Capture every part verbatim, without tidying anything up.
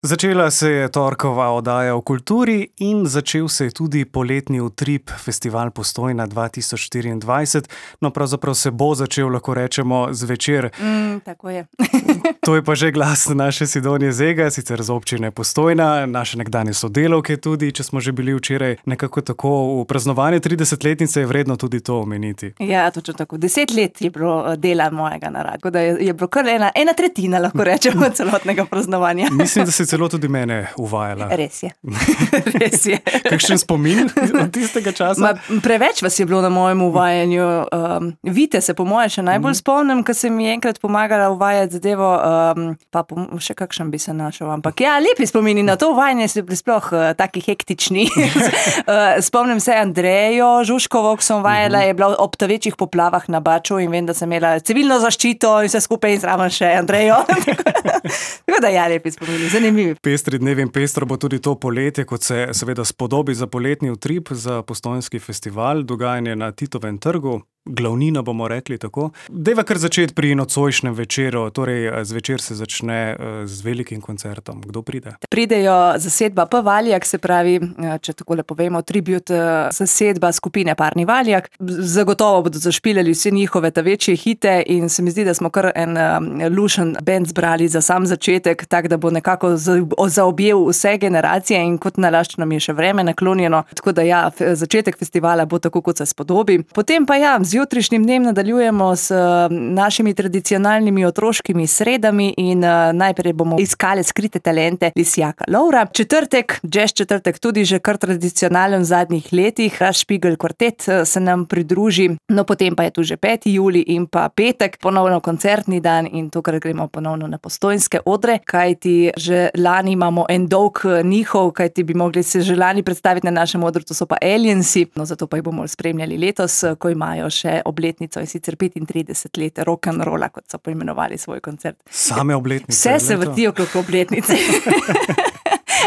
Začela se je torkova oddaja o kulturi in začel se je tudi poletni utrip Festival Postojna dva tisoč štiriindvajset. No, pravzaprav se bo začel, lahko rečemo, zvečer. Mm, tako je. To je pa že glas naše Sidonije Zega, sicer z občine Postojna, naše nekdanje sodelavke tudi, če smo že bili včeraj nekako tako v praznovanju tridesetletnice, je vredno tudi to omeniti. Ja, točno tako. Deset let je bilo dela mojega narada, tako da je, je bilo kar ena, ena tretjina, lahko rečemo, celotnega praznovanja. Mislim, da se celo tudi mene uvajala. Res je. Res je. Kakšen spomin od tistega časa? Ma, preveč vas je bilo na mojem uvajanju. Um, Vite se po moje še najbolj spomnim, ko sem mi enkrat pomagala uvajati zadevo, um, pa pom še kakšen bi se našel. Ampak ja, lepi spomini na to uvajanje so bili sploh uh, taki hektični. uh, spomnim se Andrejo Žužkovo, ko sem uvajala, je bila ob večjih poplavah na Baču in vem, da sem imela civilno zaščito in vse skupaj in zraven še Andrejo. Tako da ja, lepi spomini, zanimivi. Pestri dnevi in pestro bo tudi to poletje, kot se seveda spodobi za poletni utrip, za Postojnski festival, dogajanje na Titovem trgu. Glavnina, bomo rekli tako. Dejva kar začeti pri nocojšnjem večeru, torej zvečer se začne z velikim koncertom. Kdo pride? Pridejo zasedba P. Valjak, se pravi, če takole povemo, tribut zasedba skupine Parni Valjak. Zagotovo bodo zašpilali vse njihove ta večje hite in se mi zdi, da smo kar en lušen band zbrali za sam začetek, tak da bo nekako zaobjel vse generacije in kot nalašč nam je še vreme naklonjeno. Tako da ja, začetek festivala bo tako, kot se spodobi. Potem pa ja, z jutrišnjim dnem nadaljujemo s našimi tradicionalnimi otroškimi sredami in uh, najprej bomo iskali skrite talente Lisjaka Lovra. Četrtek, jazz četrtek, tudi že kar tradicionalen v zadnjih letih, Špigel kvartet se nam pridruži. No, potem pa je tu že peti julij in pa petek, ponovno koncertni dan in tokrat gremo ponovno na Postojnske odre, kajti že lani imamo en dolg njihov, kajti bi mogli se že lani predstaviti na našem odru, to so pa Aliensi, no zato pa jih bomo spremljali letos, ko imajo še obletnico in sicer petintrideset let rock'n'rolla, kot so poimenovali svoj koncert. Same obletnice. Vse se vrtijo okrog obletnice.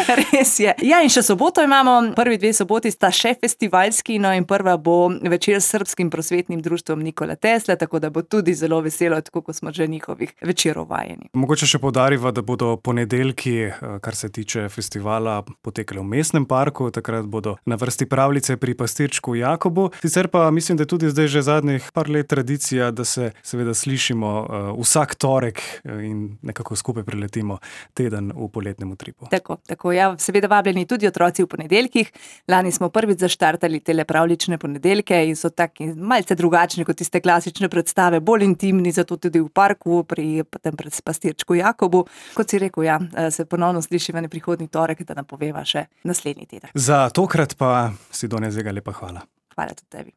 Res je. Ja, in še soboto imamo, prvi dve soboti sta še festivalski, no in prva bo večer s Srbskim prosvetnim društvom Nikola Tesla, tako da bo tudi zelo veselo, tako kot smo že njihovih večerov vajeni. Mogoče še poudarimo, da bodo ponedeljki, kar se tiče festivala, potekali v Mestnem parku, takrat bodo na vrsti pravljice pri pastirčku Jakobu. Sicer pa mislim, da tudi zdaj že zadnjih par let tradicija, da se seveda slišimo uh, vsak torek in nekako skupaj preletimo teden v poletnem utripu. Tako, tako. Ja, seveda vabljeni tudi otroci v ponedeljkih. Lani smo prvič zaštartali tele pravljične ponedeljke in so taki malce drugačni kot tiste klasične predstave, bolj intimni, zato tudi v parku pri tem pastirčku Jakobu. Kot si rekel, ja, se ponovno slišiva na prihodnji torek, da napoveva še naslednji teden. Za tokrat pa Sidonija Zega lepa hvala. Hvala tudi tebi.